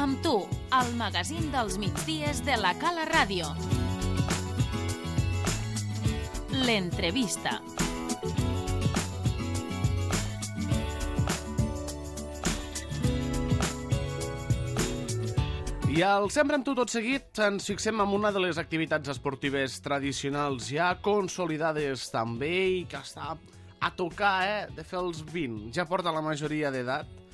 Amb tu, el magazín dels migdies de la Cala Ràdio. L'entrevista. I al Sempre amb tu tot seguit ens fixem en una de les activitats esportives tradicionals ja consolidades també i que està a tocar de fer els 20. Ja porta la majoria d'edat,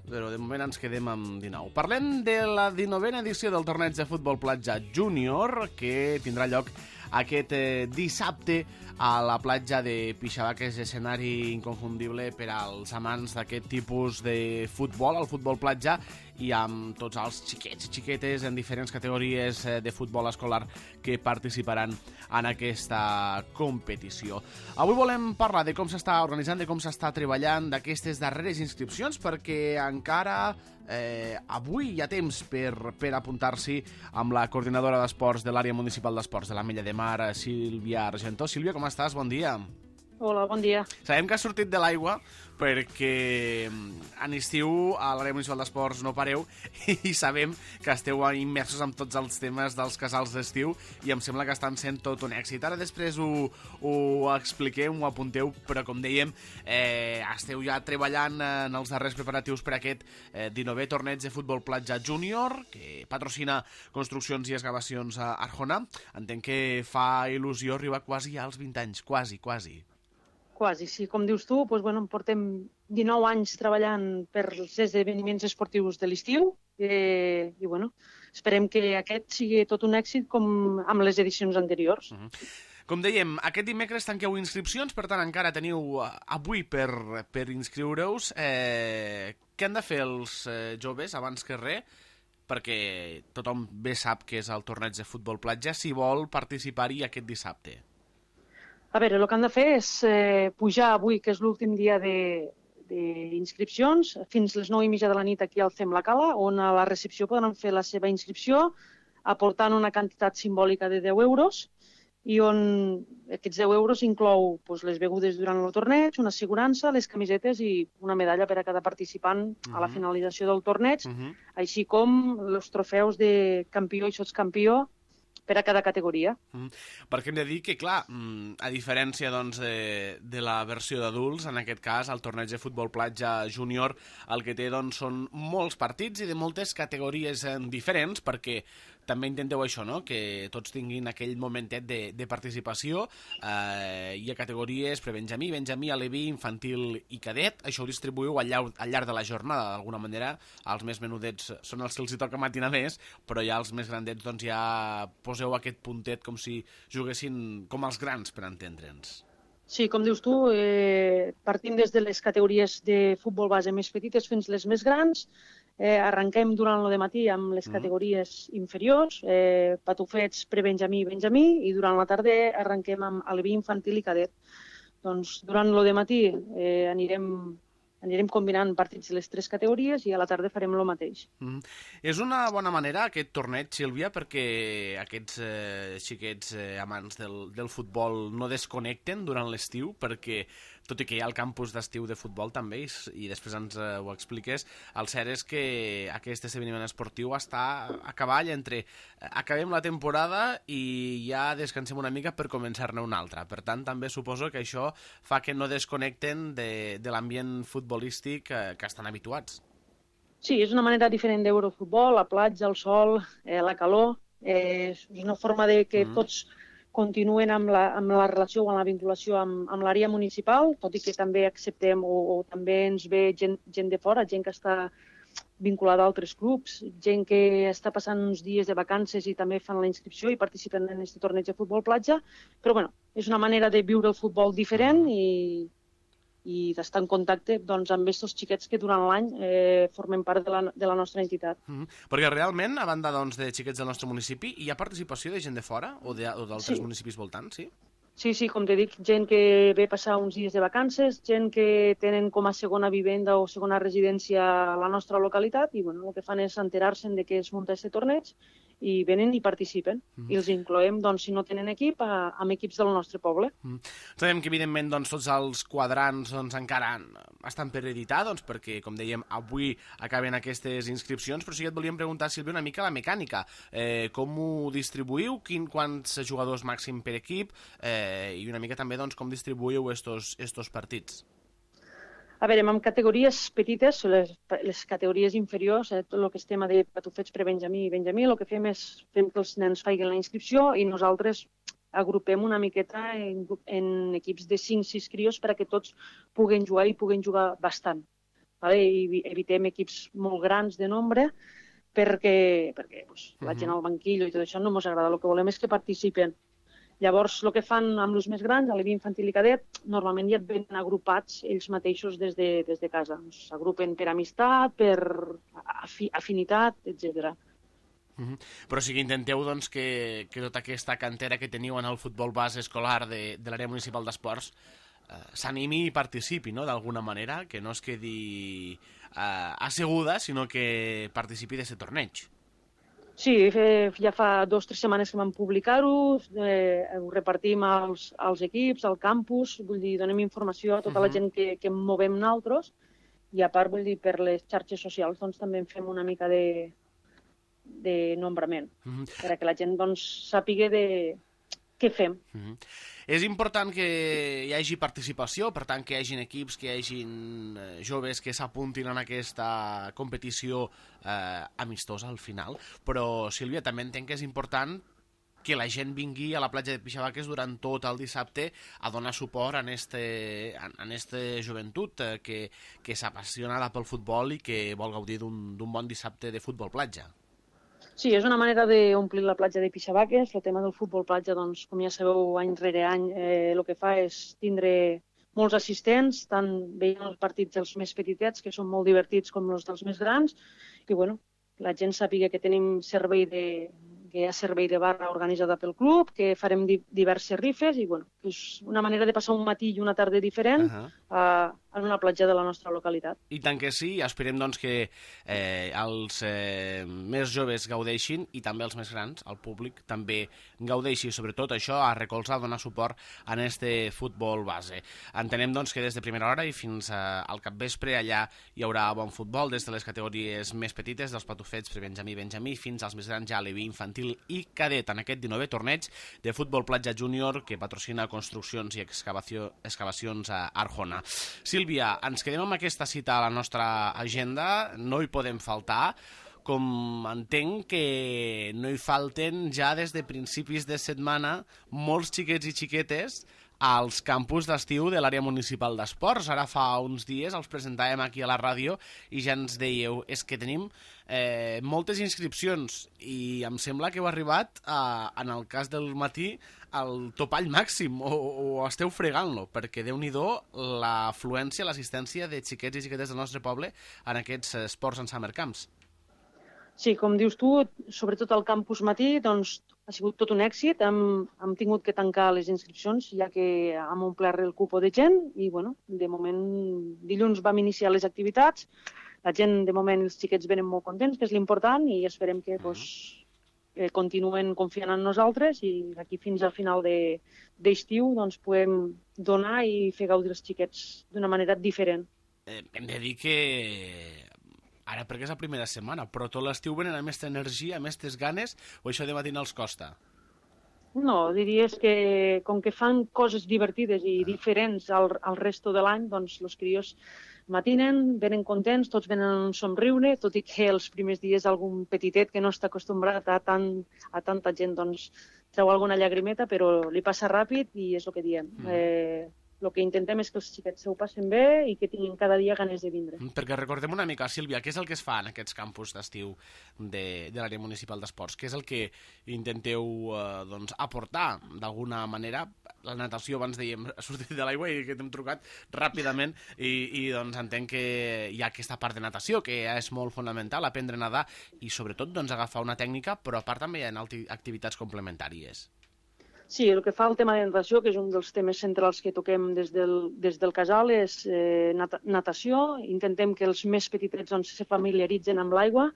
però de moment ens quedem amb 19. Parlem de la 19a edició del torneig de futbol platja júnior que tindrà lloc aquest dissabte a la platja de Pixavà, que és escenari inconfundible per als amants d'aquest tipus de futbol, el futbol platja, i amb tots els xiquets i xiquetes en diferents categories de futbol escolar que participaran en aquesta competició. Avui volem parlar de com s'està organitzant, de com s'està treballant d'aquestes darreres inscripcions, perquè encara avui hi ha temps per apuntar-s'hi amb la coordinadora d'esports de l'àrea municipal d'esports de l'Ametlla de Mar, Sílvia Argentó. Sílvia, com estàs? Bon dia. Hola, bon dia. Sabem que has sortit de l'aigua perquè en estiu a l'àrea municipal d'esports no pareu i sabem que esteu immersos en tots els temes dels casals d'estiu i em sembla que estan sent tot un èxit. Ara després ho expliquem, ho apunteu, però com dèiem, esteu ja treballant en els darrers preparatius per aquest 19è torneig de futbol platja júnior que patrocina Construccions i Excavacions a Arjona. Entenc que fa il·lusió arribar quasi als 20 anys, quasi. Quasi, sí. Com dius tu, doncs, portem 19 anys treballant per els esdeveniments esportius de l'estiu i esperem que aquest sigui tot un èxit com amb les edicions anteriors. Com dèiem, aquest dimecres tanqueu inscripcions, per tant encara teniu avui per inscriure-us. Què han de fer els joves abans que res? Perquè tothom bé sap que és el torneig de futbol platja si vol participar-hi aquest dissabte. A veure, el que han de fer és pujar avui, que és l'últim dia d'inscripcions, fins les 9:30 de la nit aquí al CEM La Cala, on a la recepció podran fer la seva inscripció aportant una quantitat simbòlica de 10 euros i on aquests 10 euros inclou les begudes durant el torneig, una assegurança, les camisetes i una medalla per a cada participant a la finalització del torneig, així com els trofeus de campió i sotscampió per a cada categoria. Perquè hem de dir que, clar, a diferència de la versió d'adults, en aquest cas, el torneig de futbol platja júnior, el que té són molts partits i de moltes categories diferents, perquè també intenteu això, no?, que tots tinguin aquell momentet de participació. Hi ha categories prebenjamí, benjamí, aleví, infantil i cadet. Això ho distribuïu al llarg de la jornada, d'alguna manera. Els més menudets són els que els hi toca matinar més, però ja els més grandets ja poseu aquest puntet com si juguessin com els grans, per entendre'ns. Sí, com dius tu, partim des de les categories de futbol base més petites fins les més grans. Arrenquem durant el matí amb les categories inferiors, patufets, prebenjamí i benjamí, i durant la tarda arrenquem amb aleví, infantil i cadet. Doncs durant el matí anirem combinant partits de les tres categories i a la tarda farem el mateix. És una bona manera aquest torneig, Sílvia, perquè aquests xiquets amants del futbol no desconnecten durant l'estiu, perquè tot i que hi ha el campus d'estiu de futbol també, i després ens ho expliques, el cert és que aquest esdeveniment esportiu està a cavall entre acabem la temporada i ja descansem una mica per començar-ne una altra. Per tant, també suposo que això fa que no desconnecten de l'ambient futbolístic que estan habituats. Sí, és una manera diferent de veure el futbol, la platja, el sol, la calor. És una forma de que tots continuen amb la relació o amb la vinculació amb l'àrea municipal, tot i que també acceptem o també ens ve gent de fora, gent que està vinculada a altres clubs, gent que està passant uns dies de vacances i també fan la inscripció i participen en aquest torneig de futbol platja, però és una manera de viure el futbol diferent i d'estar en contacte amb aquests xiquets que durant l'any formen part de la nostra entitat. Perquè realment, a banda de xiquets del nostre municipi, hi ha participació de gent de fora o d'altres municipis voltants, sí? Sí, com te dic, gent que ve passar uns dies de vacances, gent que tenen com a segona vivenda o segona residència a la nostra localitat i el que fan és enterar-se de què es munta aquest torneig i venen i participen. I els incloem, doncs, si no tenen equip, amb equips del nostre poble. Sabem que, evidentment, doncs, tots els quadrants encara estan per editar, perquè, com dèiem, avui acaben aquestes inscripcions, però sí que et volíem preguntar, Sílvia, una mica la mecànica. Com ho distribuïu? Quants jugadors màxim per equip? I una mica també com distribuïu estos partits? A veure, amb categories petites, les categories inferiors, tot el que és tema de patufets pre-Benjamí i Benjamí, el que fem és que els nens facin la inscripció i nosaltres agrupem una miqueta en equips de 5-6 crios perquè tots puguen jugar i puguen jugar bastant. I evitem equips molt grans de nombre perquè la gent al banquillo i tot això no ens agrada. El que volem és que participen. Llavors, el que fan amb els més grans, a l'EVI infantil i cadet, normalment ja et venen agrupats ells mateixos des de casa. S'agrupen per amistat, per afinitat, etc. Però sí que intenteu que tota aquesta cantera que teniu en el futbol base escolar de l'àrea municipal d'esports s'animi i participi, no?, d'alguna manera, que no es quedi asseguda, sinó que participi d'aquest torneig. Sí, ja fa 2 o 3 setmanes que vam publicar-ho, ho repartim als equips, al campus, vull dir, donem informació a tota la gent que movem nosaltres i a part, vull dir, per les xarxes socials doncs també en fem una mica de nombrament, perquè la gent doncs sàpiga què fem. És important que hi hagi participació, per tant que hi hagin equips, que hi hagin joves que s'apuntin en aquesta competició amistosa al final, però Sílvia, també entenc que és important que la gent vingui a la platja de Pixabaques durant tot el dissabte a donar suport a aquesta joventut que s'apassiona pel futbol i que vol gaudir d'un bon dissabte de futbol platja. Sí, és una manera d'omplir la platja de Pixabaques. El tema del futbol platja, doncs, com ja sabeu, any rere any, el que fa és tindre molts assistents, tant veient els partits dels més petitets, que són molt divertits, com els dels més grans, i bueno, la gent sàpiga que tenim que hi ha servei de barra organitzada pel club, que farem diverses rifes, i bueno, és una manera de passar un matí i una tarda diferent en una platja de la nostra localitat. I tant que sí, esperem doncs que els més joves gaudeixin i també els més grans, el públic, també gaudeixi, sobretot això, a recolzar, a donar suport a este futbol base. Entenem doncs que des de primera hora i fins al capvespre allà hi haurà bon futbol, des de les categories més petites, dels patufets pre-Benjamí i Benjamí, fins als més grans ja a l'EVI infantil i cadet en aquest 19è torneig de futbol platja júnior que patrocina Construccions i Excavacions a Arjona. Sílvia, ens quedem amb aquesta cita a la nostra agenda, no hi podem faltar, com entenc que no hi falten ja des de principis de setmana molts xiquets i xiquetes als campus d'estiu de l'àrea municipal d'esports. Ara fa uns dies els presentàvem aquí a la ràdio i ja ens dèieu, és que tenim moltes inscripcions i em sembla que heu arribat, en el cas del matí, al topall màxim o esteu fregant-lo, perquè déu-n'hi-do l'afluència, l'assistència de xiquets i xiquetes del nostre poble en aquests esports en summer camps. Sí, com dius tu, sobretot al campus matí, doncs ha sigut tot un èxit. Hem tingut que tancar les inscripcions, ja que hem omplert el cupo de gent i, bueno, de moment, dilluns vam iniciar les activitats. La gent, de moment, els xiquets venen molt contents, que és l'important, i esperem que continuen confiant en nosaltres i d'aquí fins al final d'estiu doncs, podem donar i fer gaudir els xiquets d'una manera diferent. Hem de dir que ara perquè és la primera setmana, però tot l'estiu venen amb aquesta energia, amb aquestes ganes, o això de matina els costa? No, diries que com que fan coses divertides i diferents al resto de l'any, doncs els crios matinen, venen contents, tots venen a un somriure, tot i que els primers dies algun petitet que no està acostumbrat a tanta gent doncs treu alguna llagrimeta, però li passa ràpid i és el que diem. El que intentem és que els xiquets s'ho passen bé i que tinguin cada dia ganes de vindre. Perquè recordem una mica, Sílvia, què és el que es fa en aquests campus d'estiu de l'àrea municipal d'esports? Què és el que intenteu aportar d'alguna manera? La natació, abans dèiem, ha sortit de l'aigua i que t'hem trucat ràpidament i doncs entenc que hi ha aquesta part de natació que és molt fonamental, aprendre a nedar i sobretot agafar una tècnica, però a part també hi ha activitats complementàries. Sí, el que fa al tema de natació, que és un dels temes centrals que toquem des del casal, és natació. Intentem que els més petitets doncs, se familiaritzen amb l'aigua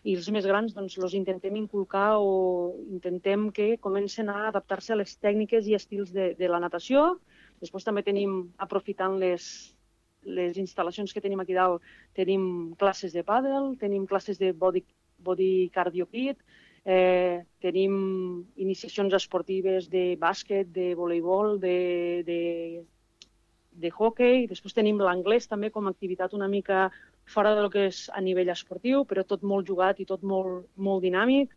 i els més grans doncs, els intentem inculcar o intentem que comencen a adaptar-se a les tècniques i estils de la natació. Després també tenim, aprofitant les instal·lacions que tenim aquí dalt, tenim classes de pàdel, tenim classes de body cardio kit, tenim iniciacions esportives de bàsquet, de voleibol, de hoquei. Després tenim l'anglès també com a activitat una mica fora del que és a nivell esportiu, però tot molt jugat i tot molt, molt dinàmic.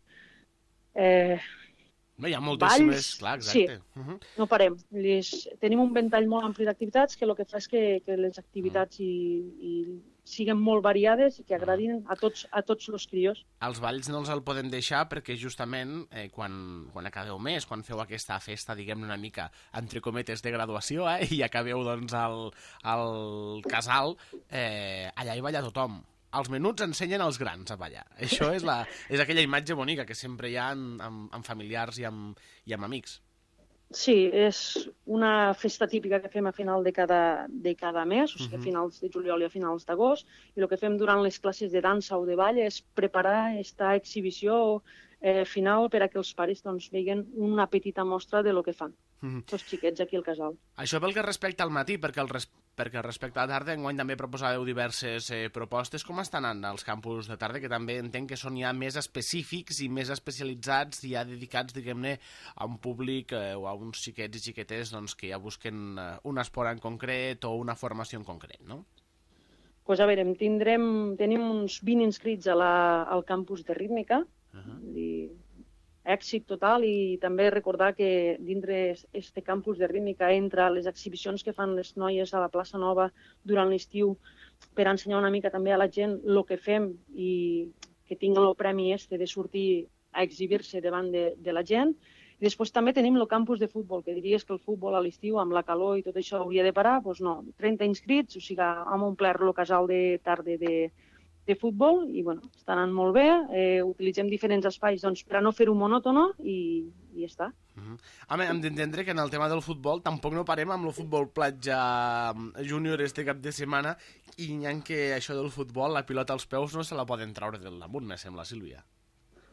Hi ha moltíssimes, clar, exacte. Sí, no parem. Tenim un ventall molt ampli d'activitats que el que fa és que les activitats siguin molt variades i que agradin a tots els crios. Els balls no els el podem deixar perquè justament quan acabeu més, quan feu aquesta festa, diguem-ne una mica, entre cometes, de graduació, i acabeu doncs al casal, allà hi balla tothom. Els menuts ensenyen als grans a ballar. Això és aquella imatge bonica que sempre hi ha amb familiars i amb amics. Sí, és una festa típica que fem a final de cada mes, o sigui, a finals de juliol i a finals d'agost, i el que fem durant les classes de dansa o de ball és preparar aquesta exhibició final per a que els pares doncs, vegin una petita mostra de lo que fan, els xiquets aquí al casal. Això pel que respecta al matí, perquè respecte a la tarda, enguany també proposàveu diverses propostes. Com estan anant els campus de tarda, que també entenc que són ja més específics i més especialitzats i ja dedicats, diguem-ne, a un públic o a uns xiquets i xiquetes doncs, que ja busquen un esport en concret o una formació en concret, no? Pues a veure, tenim uns 20 inscrits al campus de rítmica, èxit total, i també recordar que dintre este campus de rítmica entra les exhibicions que fan les noies a la plaça Nova durant l'estiu per ensenyar una mica també a la gent el que fem i que tinguin el premi de sortir a exhibir-se davant de la gent. I després també tenim el campus de futbol, que diries que el futbol a l'estiu, amb la calor i tot això, hauria de parar. Doncs no, 30 inscrits, o sigui, hem omplert el casal de tarda de futbol i bueno, està anant molt bé. Utilitzem diferents espais doncs, per a no fer-ho monòtono i ja està. Home, hem d'entendre que en el tema del futbol tampoc no parem amb el futbol platja júnior este cap de setmana i n'hi ha que això del futbol, la pilota als peus no se la poden treure del damunt, me sembla, Sílvia.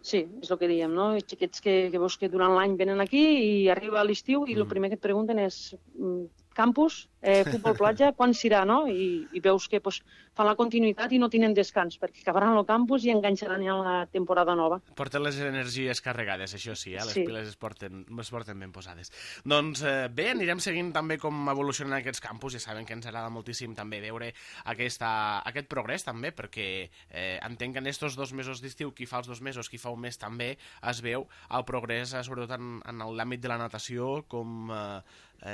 Sí, és el que dèiem, no? Els xiquets que veus que durant l'any venen aquí i arriba a l'estiu i el primer que et pregunten és campus, futbol platja, quan serà, no? I veus que fan la continuïtat i no tenen descans, perquè acabaran el campus i enganxaran ja la temporada nova. Porten les energies carregades, això sí, les piles es porten ben posades. Doncs bé, anirem seguint també com evolucionen aquests campus, ja saben que ens agrada moltíssim també veure aquest progrés també, perquè entenc que en aquests 2 mesos d'estiu, qui fa els 2 mesos, qui fa un mes també, es veu el progrés, sobretot en l'àmbit de la natació, com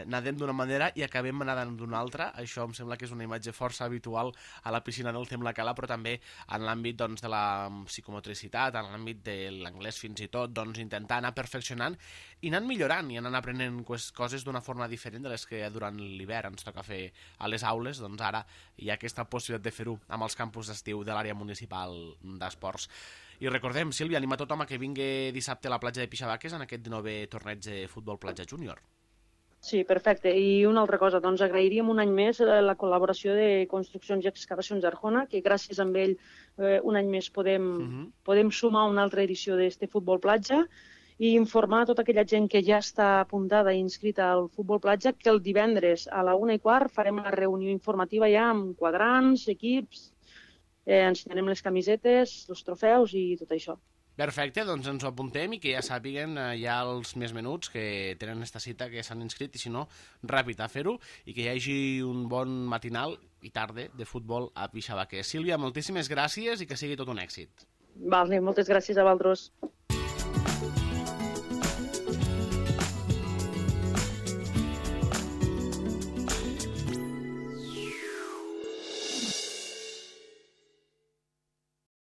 nadem d'una manera i acabem nedant d'una altra. Això em sembla que és una imatge força habitual a la piscina del Tem la Cala, però també en l'àmbit doncs, de la psicomotricitat, en l'àmbit de l'anglès fins i tot, doncs, intentar anar perfeccionant i anant millorant i anant aprenent coses d'una forma diferent de les que durant l'hivern ens toca fer a les aules. Doncs ara hi ha aquesta possibilitat de fer-ho amb els campus d'estiu de l'àrea municipal d'esports. I recordem, Sílvia, anima tothom a que vingui dissabte a la platja de Pixabaques en aquest 9è torneig de futbol platja júnior. Sí, perfecte. I una altra cosa, doncs agrairíem un any més la col·laboració de Construccions i Excavacions Arjona, que gràcies a ell un any més podem sumar una altra edició d'este futbol platja i informar tota aquella gent que ja està apuntada i inscrita al futbol platja que el divendres a la 1:15 farem una reunió informativa ja amb quadrants, equips, ensenyarem les camisetes, els trofeus i tot això. Perfecte, doncs ens ho apuntem i que ja sàpiguen ja els més menuts que tenen esta cita, que s'han inscrit, i si no, ràpid a fer-ho, i que hi hagi un bon matinal i tarda de futbol a Pixabaques. Sílvia, moltíssimes gràcies i que sigui tot un èxit. Vale, moltes gràcies a vosaltres.